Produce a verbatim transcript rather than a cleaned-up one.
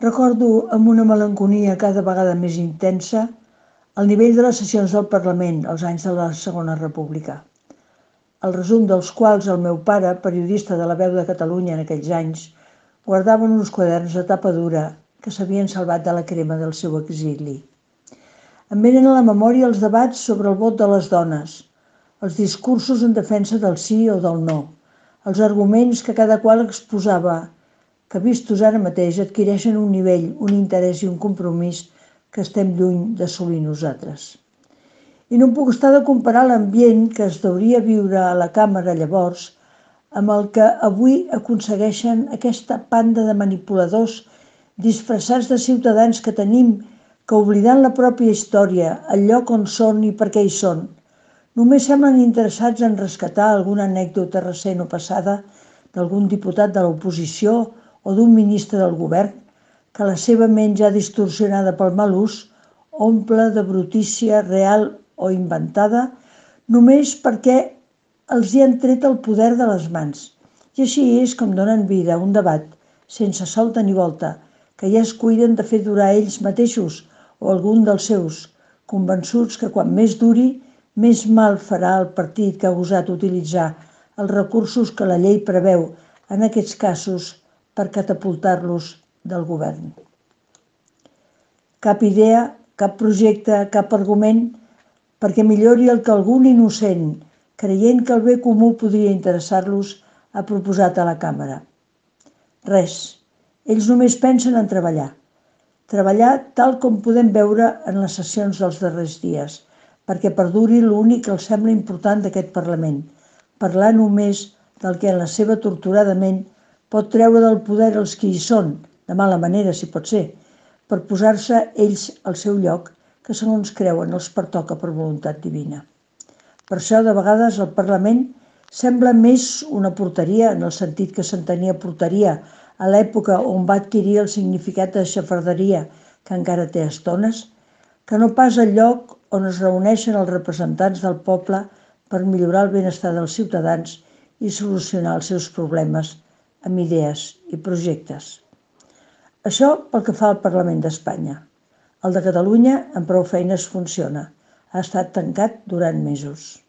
Recordo amb una melancolia cada vegada més intensa el nivell de les sessions del Parlament als anys de la Segona República, el resum dels quals el meu pare, periodista de La Veu de Catalunya en aquells anys, guardava en uns quaderns de tapa dura que s'havien salvat de la crema del seu exili. Em venen a la memòria els debats sobre el vot de les dones, els discursos en defensa del sí o del no, els arguments que cada qual exposava, que vistos ara mateix adquireixen un nivell, un interès i un compromís que estem lluny d'assolir nosaltres. I no em puc estar de comparar l'ambient que es deuria viure a la càmera llavors amb el que avui aconsegueixen aquesta panda de manipuladors disfressats de ciutadans que tenim que, oblidant la pròpia història, el lloc on són i per què hi són, només semblen interessats en rescatar alguna anècdota recent o passada d'algun diputat de l'oposició o d'un ministre del govern que la seva ment ja distorsionada pel mal ús omple de brutícia real o inventada només perquè els hi han tret el poder de les mans. I així és com donen vida a un debat sense solta ni volta, que ja es cuiden de fer durar ells mateixos o algun dels seus, convençuts que quan més duri, més mal farà el partit que ha gosat utilitzar els recursos que la llei preveu en aquests casos per catapultar-los del govern. Cap idea, cap projecte, cap argument perquè millori el que algun innocent, creient que el bé comú podria interessar-los, ha proposat a la càmera. Res. Ells només pensen en treballar. Treballar tal com podem veure en les sessions dels darrers dies, perquè perduri l'únic que els sembla important d'aquest Parlament, parlar només del que en la seva torturada ment pot treure del poder els que hi són, de mala manera si pot ser, per posar-se ells al seu lloc, que segons creuen els pertoca per voluntat divina. Per això, de vegades, el Parlament sembla més una porteria, en el sentit que s'entenia porteria a l'època on va adquirir el significat de xafarderia que encara té a estones, que no pas el lloc on es reuneixen els representants del poble per millorar el benestar dels ciutadans i solucionar els seus problemes amb idees i projectes. Això pel que fa al Parlament d'Espanya. El de Catalunya, amb prou feines, funciona. Ha estat tancat durant mesos.